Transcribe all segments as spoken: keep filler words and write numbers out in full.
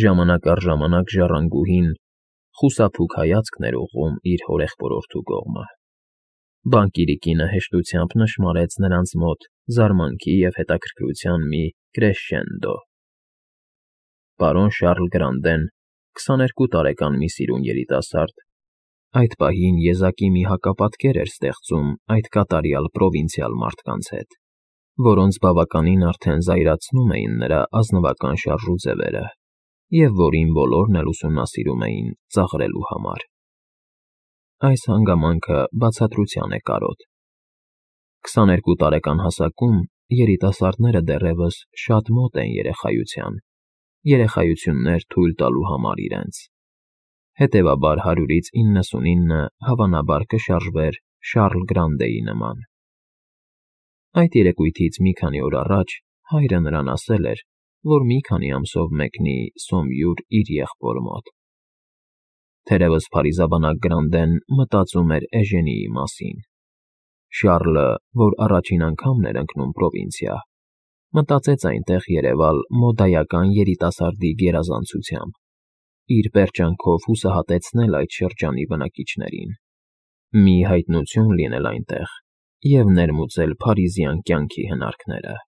Ժամանակ առ ժամանակ ժառանգուհին խուսափուք հայացքն էր ուղղում իր հորեղբորորդու կողմը։ Բանկիրիկինը հեշտությամբ նշմարեց նրանց մոտ զարմանքի և հետաքրքրության մի կրեսշենդո։ Պարոն Շառլ Գրանդեն, քսաներկու տարեկան մի սիրուն երիտասարդ, այդ պահին եզակի մի հակապատկեր էր ստեղծում այդ կատարյալ պրովինցիալ մարդկանց հետ, որոնց բավականին արդեն զայրացնում էին նրա ազնվական շարժուձևերը և որին բոլորն էլ ուսումնասիրում էին ծաղրելու համար։ Այս հանգամանքը բացատրության է կարոտ։ Քսաներկու տարեկան հասակում երիտասարդները դեռևս շատ մոտ են երեխայության, երեխայություններ թույլ տալու համար իրենց։ Հետևաբար հարյուրից իննսունինը հավանաբար կշարժվեր Շառլ Գրանդեի նման։ Այդ երեկույթից մի քանի օր առաջ հայրը նրան ասել էր, որ մի քանի ամսով մեկնի Սոմյուր իր եղբոր մոտ։ Թերևս փարիզաբանակ Գրանդեն մտածում էր Էժենիի մասին։ Շառլը, որ առաջին անգամն էր ընկնում պրովինցիա, մտածեց այնտեղ երևալ մոդայական երիտասարդի գերազանցությամբ, իր պերճանքով հուսահատեցնել այդ շրջանի բնակիչներին, մի հայտնություն լինել այնտեղ և ներմուծել փարիզյան կյանքի հնարքները։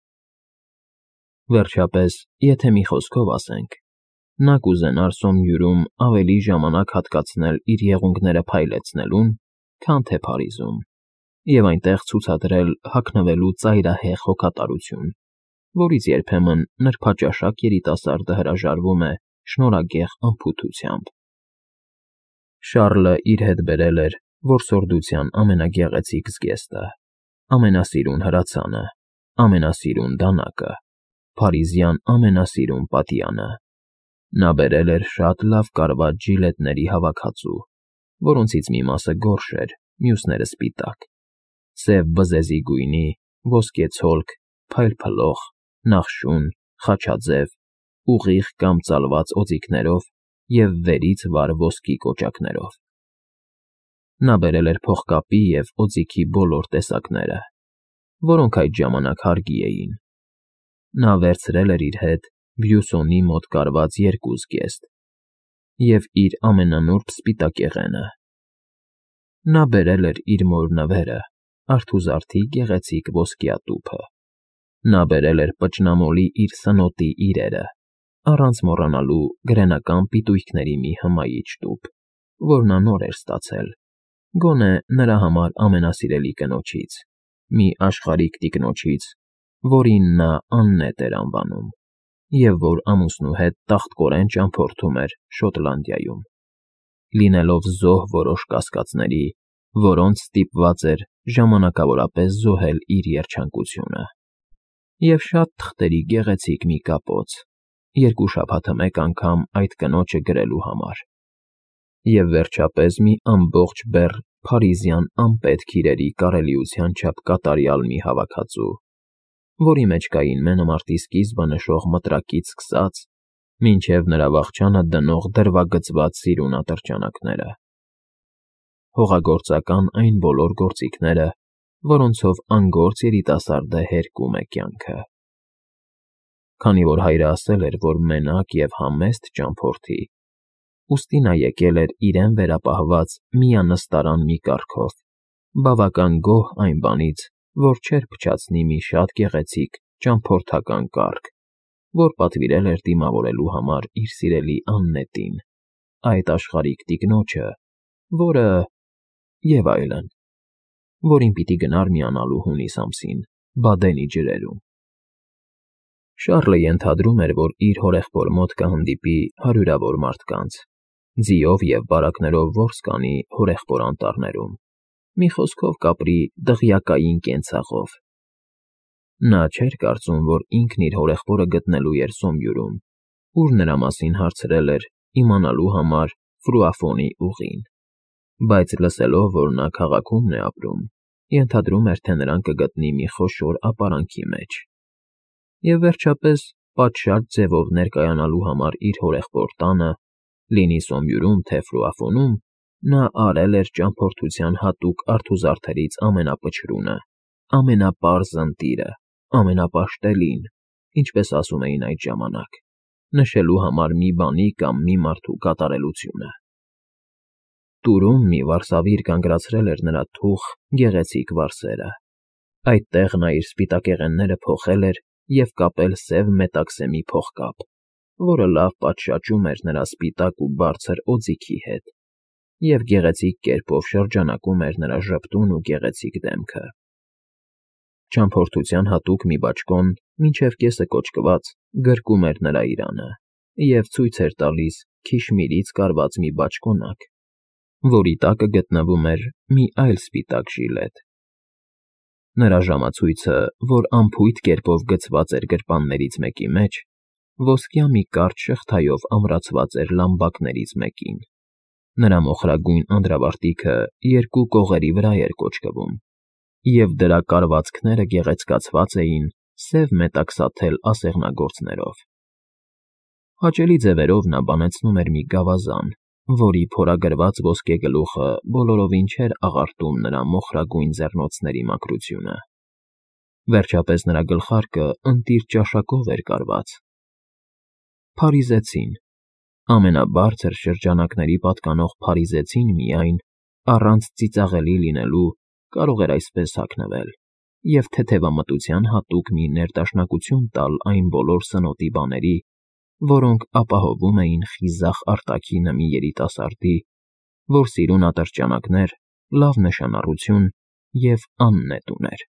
Վերջապես, եթե մի խոսքով ասենք, նա կուզենար Սոմյուրում ավելի ժամանակ հատկացնել իր եղունգները փայլեցնելուն, քան թե Փարիզում, և այնտեղ ցուցադրել հագնվելու ծայրահեղ հոգատարություն, որից երբեմն նրբաճաշակ երիտասարդը հրաժարվում է շնորհագեղ անփութությամբ։ Շառլը իր հետ բերել էր որսորդության ամենագեղեցիկ զգեստը, ամենասիրուն հրացանը, ամենասիրուն դանակը, փարիզյան ամենասիրուն պատյանը։ Նա բերել էր շատ լավ կարված ժիլետների հավաքածու, որոնցից մի մասը գորշ էր, մյուսները սպիտակ, սև բզեզի գույնի, ոսկե ցոլք, փայլփլող, նախշուն, խաչաձև, ուղիղ կամ ծալված օձիքներով և վերից վար ոսկի կոճակներով։ Նա բերել էր փողկապի և օձիքի բոլոր տեսակները, որոնք այդ ժամանակ հարգի էին։ Նա վերցրել էր իր հետ Բյուսոնի մոտ կարված երկու զգեստ և իր ամենանուրբ սպիտակեղենը։ Նա բերել էր իր մոր նվերը, արթուզարդի գեղեցիկ ոսկյա տուփը։ Նա բերել էր պճնամոլի իր սնոտի իրերը, առանց մոռանալու գրենական պիտույքների մի հմայիչ տուփ, որ նա նոր էր ստացել, գոնե նրա համար ամենասիրելի կնոջից, մի աշխարհիկ տիկնոջից, որին նա Աննետ էր անվանում, և որ ամուսնու հետ տախտկորեն ճամփորդում էր Շոտլանդիայում, լինելով զոհ որոշ կասկածների, որոնց ստիպված էր ժամանակավորապես զոհել իր երջանկությունը, և շատ թղթերի գեղեցիկ մի կապոց, երկու շաբաթը մեկ անգամ այդ կնոջը գրելու համար, և վերջապես մի ամբողջ բեռ փարիզյան անպետք իրերի կարելիության չափ կատարյալ մի հավաքածու, որի մեջ կային մենամարտի սկիզբը նշող մտրակից սկսած մինչև նրա վախճանը դնող դրվագծված սիրուն ատրճանակները, հողագործական այն բոլոր գործիքները, որոնցով անգործ երիտասարդը հերկում է կյանքը։ Քանի որ հայրը ասել էր, որ մենակ և համեստ ճամփորդի, ուստի նա եկել էր իրեն վերապահված միանստարան մի կառքով, բավական գոհ այն բանից, որ չէր փչացնի մի շատ գեղեցիկ ճամփորդական կառք, որ պատվիրել էր դիմավորելու համար իր սիրելի Աննետին, այդ աշխարհիկ տիկնոջը, որը… և այլն, որին պիտի գնար միանալու հունիս ամսին Բադենի ջրերում։ Շառլը ենթադրում էր, որ իր հորեղբոր մոտ կհանդիպի հարյուրավոր մարդկանց, ձիով և բարակներով որս կանի հորեղբոր անտառներում, մի խոսքով կապրի դղյակային կենցաղով։ Նա չէր կարծում, որ ինքն իր հորեղբորը գտնելու էր Սոմյուրում, ուր նրա մասին հարցրել էր իմանալու համար Ֆրուաֆոնի ուղին, բայց լսելով, որ նա քաղաքում է ապրում, ենթադրում էր, թե նրան կգտնի մի խոշոր ապարանքի մեջ։ Եվ վերջապես, պատշաճ ձևով ներկայանալու համար իր հորեղբոր տանը, լինի Սոմյուրում, թե Ֆրուաֆոնում, նա արել էր ճամփորդության հատուկ արթուզարդերից ամենապչրունը, ամենապարզ ընտիրը, ամենապաշտելին, ինչպես ասում էին այդ ժամանակ, նշելու համար մի բանի կամ մի մարդու կատարելությունը։ Տուրում մի վարսավիր կանգնացրել էր նրա թուխ, գեղեցիկ վարսերը։ Այդտեղ նա իր սպիտակեղենները փոխել էր և կապել սև մետաքսեմի փողկապ, որը լավ պատշաճում էր նրա սպիտակ ու բարձր օձիքի հետ և գեղեցիկ կերպով շրջանակում էր նրա ժպտուն ու գեղեցիկ դեմքը։ Ճամփորդության հատուկ մի բաճկոն, մինչև կեսը կոճկված, գրկում էր նրա իրանը և ցույց էր տալիս քիշմիրից կարված մի բաճկոնակ, որի տակը գտնվում էր մի այլ սպիտակ ժիլետ։ Նրա ժամացույցը, որ անփույթ կերպով գցված էր գրպաններից մեկի մեջ, ոսկյա մի կարճ շղթայով ամրացված էր լամբակներից մեկին։ Նրա մոխրագույն անդրավարտիքը երկու կողերի վրա էր կոճկվում, և դրա կարվածքները գեղեցկացված էին սև մետաքսաթել ասեղնագործներով։ Հաճելի ձևերով նա բանեցնում էր մի գավազան, որի փորագրված ոսկե գլուխը բոլորովին չէր աղարտում նրա մոխրագույն ձեռնոցների մաքրությունը։ Վերջապես նրա գլխարկը ընտիր ճաշակով էր կարված։ Փարիզեցին, ամենաբարձր շրջանակների պատկանող փարիզեցին միայն, առանց ծիծաղելի լինելու, կարող էր այսպես հագնվել և թեթևամտության հատուկ մի ներդաշնակություն տալ այն բոլոր սնոտի բաների, որոնք ապահովում էին խիզախ արտաքինը մի երիտասարդի, որ սիրուն ատրճանակներ, լավ նշանառություն և աննետ ուներ։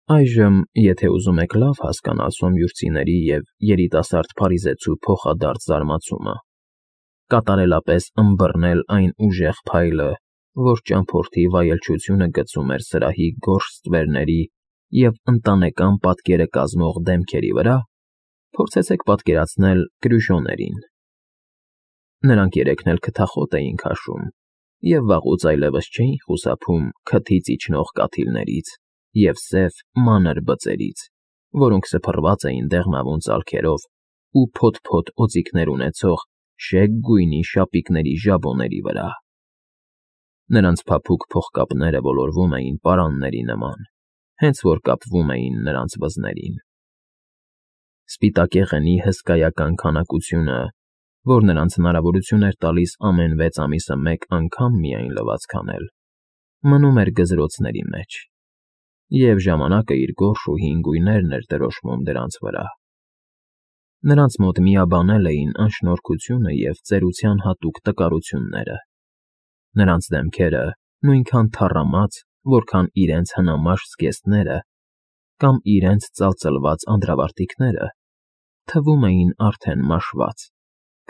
Այժմ, եթե ուզում եք լավ հասկանալ սոմյուրցիների և երիտասարդ փարիզեցու փոխադարձ զարմացումը, կատարելապես ըմբռնել այն ուժեղ փայլը, որ ճամփորդի վայելչությունը գցում էր սրահի գորշ ստվերների և ընտանեկան պատկերը կազմող դեմքերի վրա, փորձեցեք պատկերացնել Կրյուշոներին։ Նրանք երեքն էլ քթախոտ էին քաշում և վաղուց այլևս չէին խուսափում քթից իջնող կաթիլներից և սև, մանր բծերից, որոնք սփռված էին դեղնավուն ծալքերով ու փոթ֊փոթ օձիքներ ունեցող շեկ գույնի շապիկների ժաբոների վրա։ Նրանց փափուկ փողկապները ոլորվում էին պարանների նման, հենց որ կապվում էին նրանց վզներին։ Սպիտակեղենի հսկայական քանակությունը, որ նրանց հնարավորություն էր տալիս ամեն վեց ամիսը մեկ անգամ միայն լվացք անել, մնում էր գզրոցների մեջ, և ժամանակը իր գորշ ու հին գույներն էր դրոշմում դրանց վրա։ Նրանց մոտ միաբանել էին անշնորհքությունը և ծերության հատուկ տկարությունները։ Նրանց դեմքերը, նույնքան թառամած, որքան իրենց հնամաշ զգեստները կամ իրենց ծալծլված անդրավարտիքները, թվում էին արդեն մաշված,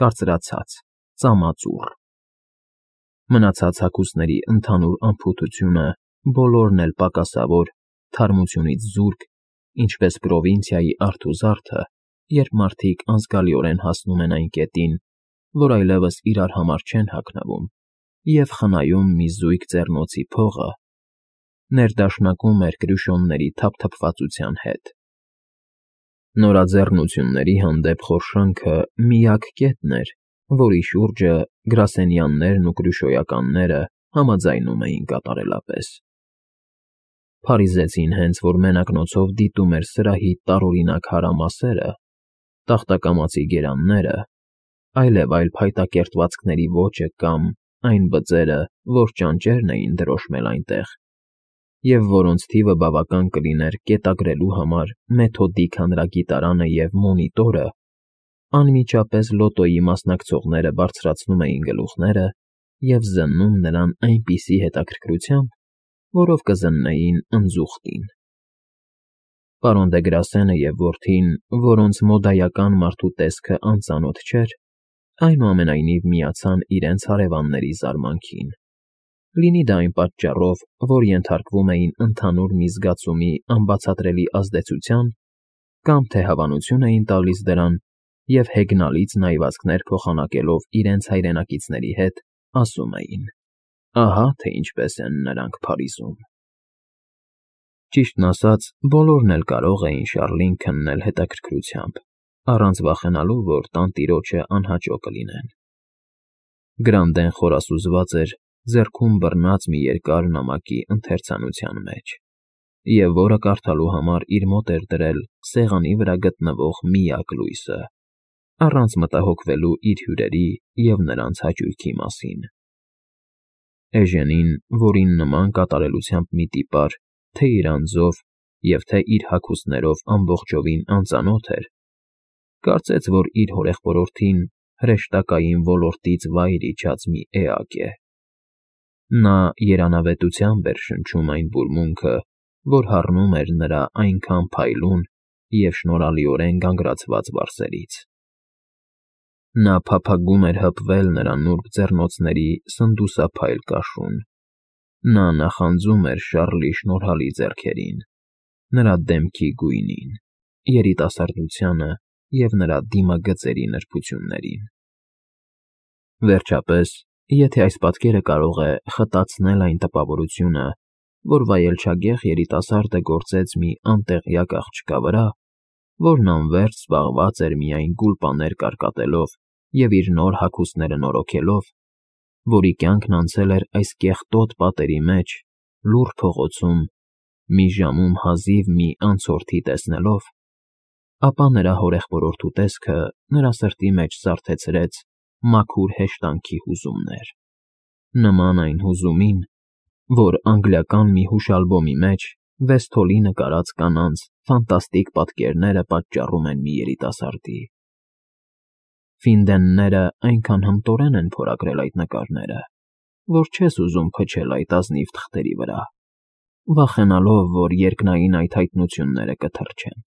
կարծրացած, ծամածուռ։ Մնացած հագուստների ընդհանուր անփութությունը բոլորն էլ պակասավոր, թարմությունից զուրկ, ինչպես պրովինցիայի արթ ու զարդը, երբ մարդիկ անզգալիորեն հասնում են այն կետին, որ այլևս իրար համար չեն հագնվում, և խնայում մի զույգ ձեռնոցի փողը, ներդաշնակում էր Կրյուշոնների թափթփվածության հետ։ Նորաձեռնությունների հանդեպ խորշանքը միակ կետն էր, որի շուրջը գրասենյաններն ու կրյուշոյականները համաձայնում էին կատարելապես։ Փարիզեցին հենց որ մենակնոցով դիտում էր սրահի տարօրինակ հարամասերը, տախտակամածի գերանները, այլև այլ փայտակերտվածքների ոճը կամ այն բծերը, որ ճանճերն էին դրոշմել այնտեղ, և որոնց թիվը բավական կլիներ կետագրելու համար մեթոդիկ հանրագիտարանը և մոնիտորը, անմիջապես լոտոյի մասնակցողները բարձրացնում էին գլուխները և զննում նրան այնպիսի հետաքրքրությամբ, որով կզննեին ընձուղտին։ Պարոն դե Գրասենը և որդին, որոնց մոդայական մարդու տեսքը անծանոթ չէր, այնուամենայնիվ միացան իրենց հարևանների զարմանքին, լինի դա այն պատճառով, որ ենթարկվում էին ընդհանուր մի զգացումի անբացատրելի ազդեցության, կամ թե հավանություն էին տալիս դրան և հեգնալից նայվածքներ փոխանակելով իրենց հայրենակիցների հետ, ասում էին. «Ահա թե ինչպես են նրանք Փարիզում»։ Ճիշտն ասած, բոլորն էլ կարող էին Շառլին քննել հետաքրքրությամբ, առանց վախենալու, որ տանտիրոջը անհաճո կլինեն։ Գրանդեն խորասուզված էր ձեռքում բռնած մի երկար նամակի ընթերցանության մեջ, և որը կարդալու համար իր մոտ էր դրել սեղանի վրա գտնվող միակ լույսը։ առանց մտահոգվելու իր հյուրերի և նրանց հաճույքի մասին։ Էժենին, որին նման կատարելությամբ մի տիպար, թե իր անձով և թե իր հագուստներով ամբողջովին անծանոթ էր, կարծեց, որ իր հորեղբորորդին հրեշտակային ոլորտից վայր իջած մի էակ է։ Նա երանավետությամբ էր շնչում այն բուրմունքը, որ հառնում էր նրա այնքան փայլուն և շնորհալիորեն գանգրացված վարսերից։ Նա փափագում էր հպվել նրա նուրբ ձեռնոցների սնդուսափայլ կաշուն։ Նա նախանձում էր Շառլի շնորհալի ձեռքերին, նրա դեմքի գույնին, երիտասարդությանը և նրա դիմագծերի նրբություններին։ Վերջապես, եթե այս պատկերը կարող է խտացնել այն տպավորությունը, որ վայելչագեղ երիտասարդը գործեց մի անտեղյակ աղջկա վրա, որն անվերջ զբաղված էր միայն գուլպաներ կարկատելով և իր նոր հագուստները նորոգելով, որի կյանքն անցել էր այս կեղտոտ պատերի մեջ, լուռ փողոցում, մի ժամում հազիվ մի անցորդի տեսնելով, ապա նրա հորեղբորորդու տեսքը նրա սրտի մեջ զարթեցրեց մաքուր հեշտանքի հուզումներ, նման այն հուզումին, որ անգլիական մի հուշալբոմի մեջ Վեսթոլի նկարած կանանց ֆանտաստիկ պատկերները պատճառում են մի երիտասարդի։ Ֆինդենները այնքան հմտորեն են փորագրել այդ նկարները, որ չես ուզում փչել այդ ազնիվ թղթերի վրա, վախենալով, որ երկնային այդ հայտնությունները կթրջեն։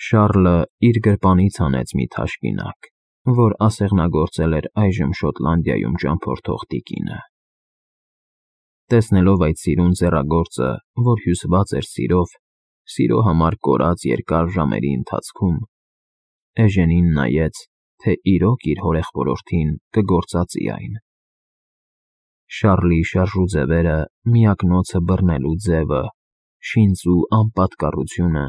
Շառլը իր գրպանից հանեց մի թաշկինակ, որ ասեղնագործել էր այժմ Շոտլանդիայում ճամփորդող տիկինը։ Տեսնելով այդ սիրուն ձեռագործը, որ հյուսված էր սիրով, սիրո համար կորած երկար ժամերի ընթացքում, Էժենին նայեց, թե իրոք իր հորեղբորորդին կգործածի այն։ Շառլի շարժուձևերը, միակնոցը բռնելու ձևը, շինծու անպատկառությունը,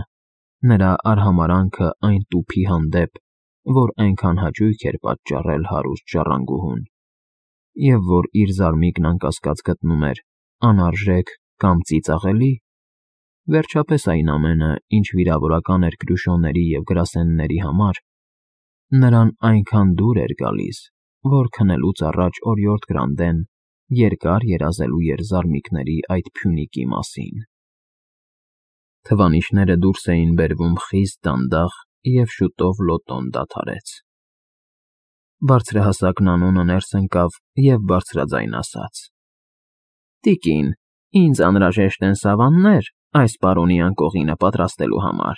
նրա արհամարհանքը այն տուփի հանդեպ, որ այնքան հաճույք էր պատճառել հարուստ ժառանգուհուն, և որ իր զարմիկն անկասկած գտնում էր անարժեք կամ ծիծաղելի, վերջապես այն ամենը, ինչ վիրավորական էր Կրյուշոների և գրասենների համար, նրան այնքան դուր էր գալիս, որ քնելուց առաջ օրիորդ Գրանդեն երկար երազելու էր զարմիկների այդ փյունիկի մասին։ Թվանիշները դուրս էին բերվում խիստ դանդաղ, և շուտով լոտոն դադարեց։ Բարձրահասակ Նանոնը ներս ընկավ և բարձրաձայն ասաց. «Տիկին, ինձ անհրաժեշտ են սավաններ այս պարոնի անկողինը պատրաստելու համար»։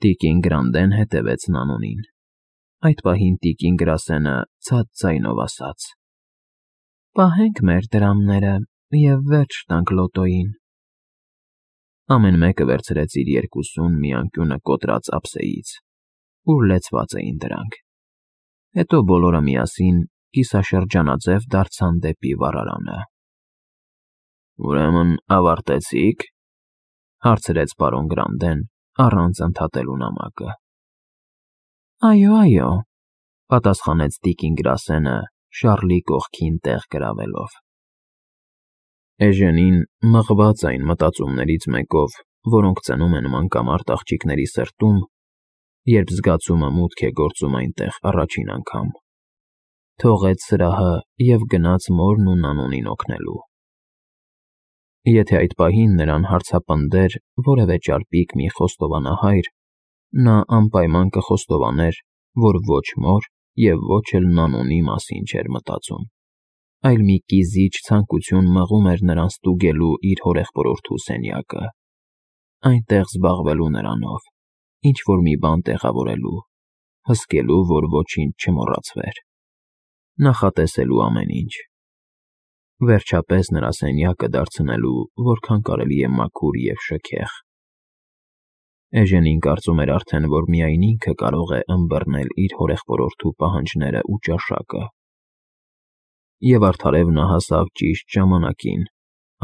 Տիկին Գրանդեն հետևեց Նանոնին։ Այդ պահին տիկին գրասենը ցած ձայնով ասաց. «Պահենք մեր դրամները և վերջ տանք լոտոյին»։ Ամեն մեկը վերցրեց իր երկուսուն մի անկյունը կոտրած ափսեից, ուր լեցված էին դրանք, հետո բոլորը միասին կիսաշրջանաձև դարձան դեպի վառարանը։ «Ուրեմն ավարտեցի՞ք», հարցրեց պարոն Գրանդեն, առանց ընդհատելու նամակը։ «Այո, այո», պատասխանեց տիկին գրասենը, Շառլի կողքին տեղ գրավելով։ Էժենին, մղված այն մտածումներից մեկով, որոնք ծնում են մանկամարտ աղջիկների սրտում, երբ զգացումը մուտք է գործում այնտեղ առաջին անգամ, թողեց սրահը և գնաց մորն ու Նանոնին օգնելու։ Եթե այդ պահին նրան հարցապնդեր որևէ ճարպիկ մի խոստովանահայր, նա անպայման կխոստովաներ, որ ոչ մոր և ոչ էլ Նանոնի մասին չէր մտածում, այլ մի կիզիչ ցանկություն մղում էր նրան ստուգելու իր հորեղբորորդու սենյակը, այնտեղ զբաղվելու նրանով, ինչ֊որ մի բան տեղավորելու, հսկելու, որ ոչինչ չմոռացվեր, նախատեսելու ամեն ինչ, վերջապես նրա սենյակը դարձնելու որքան կարելի է մաքուր և շքեղ։ Էժենին կարծում էր արդեն, որ միայն ինքը կարող է ըմբռնել իր հորեղբորորդու պահանջները ու ճաշակը։ Եվ արդարև նա հասավ ճիշտ ժամանակին,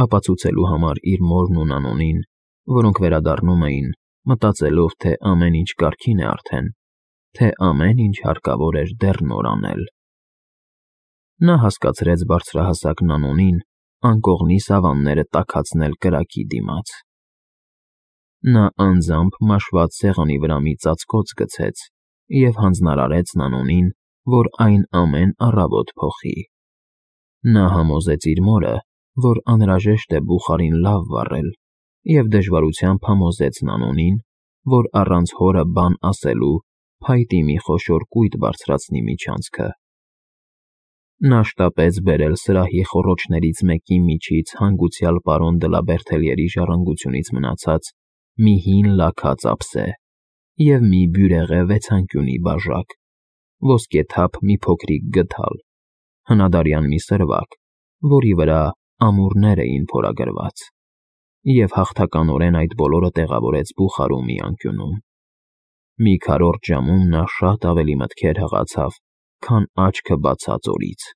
ապացուցելու համար իր մորն ու Նանոնին, որոնք վերադառնում էին, մտածելով, թե ամեն ինչ կարգին է արդեն, թե ամեն ինչ հարկավոր էր դեռ նոր անել։ Նա հասկացրեց բարձրահասակ Նանոնին անկողնի սավանները տաքացնել կրակի դիմաց։ Նա անձամբ մաշված սեղանի վրա մի ծածկոց գցեց և հանձնարարեց Նանոնին, որ այն ամեն առավոտ փոխի։ Նա համոզեց իր մորը, որ անհրաժեշտ է բուխարին լավ վառել, և դժվարությամբ համոզեց Նանոնին, որ առանց հորը բան ասելու փայտի մի խոշոր կույտ բարձրացնի միջանցքը։ Նա շտապեց բերել սրահի խոռոչներից մեկի միջից հանգուցյալ պարոն Դլաբերթելյերի ժառանգությունից մնացած մի հին լաքած ափսե և մի բյուրեղե վեցանկյունի բաժակ, ոսկեթափ մի փոքրիկ գդալ, հնադարյան մի սրվակ, որի վրա ամուռներ էին փորագրված, և հաղթականորեն այդ բոլորը տեղավորեց բուխարու մի անկյունում։ Մի քառորդ ժամում նա շատ ավելի մտքեր հղացավ, քան աչքը բացած օրից։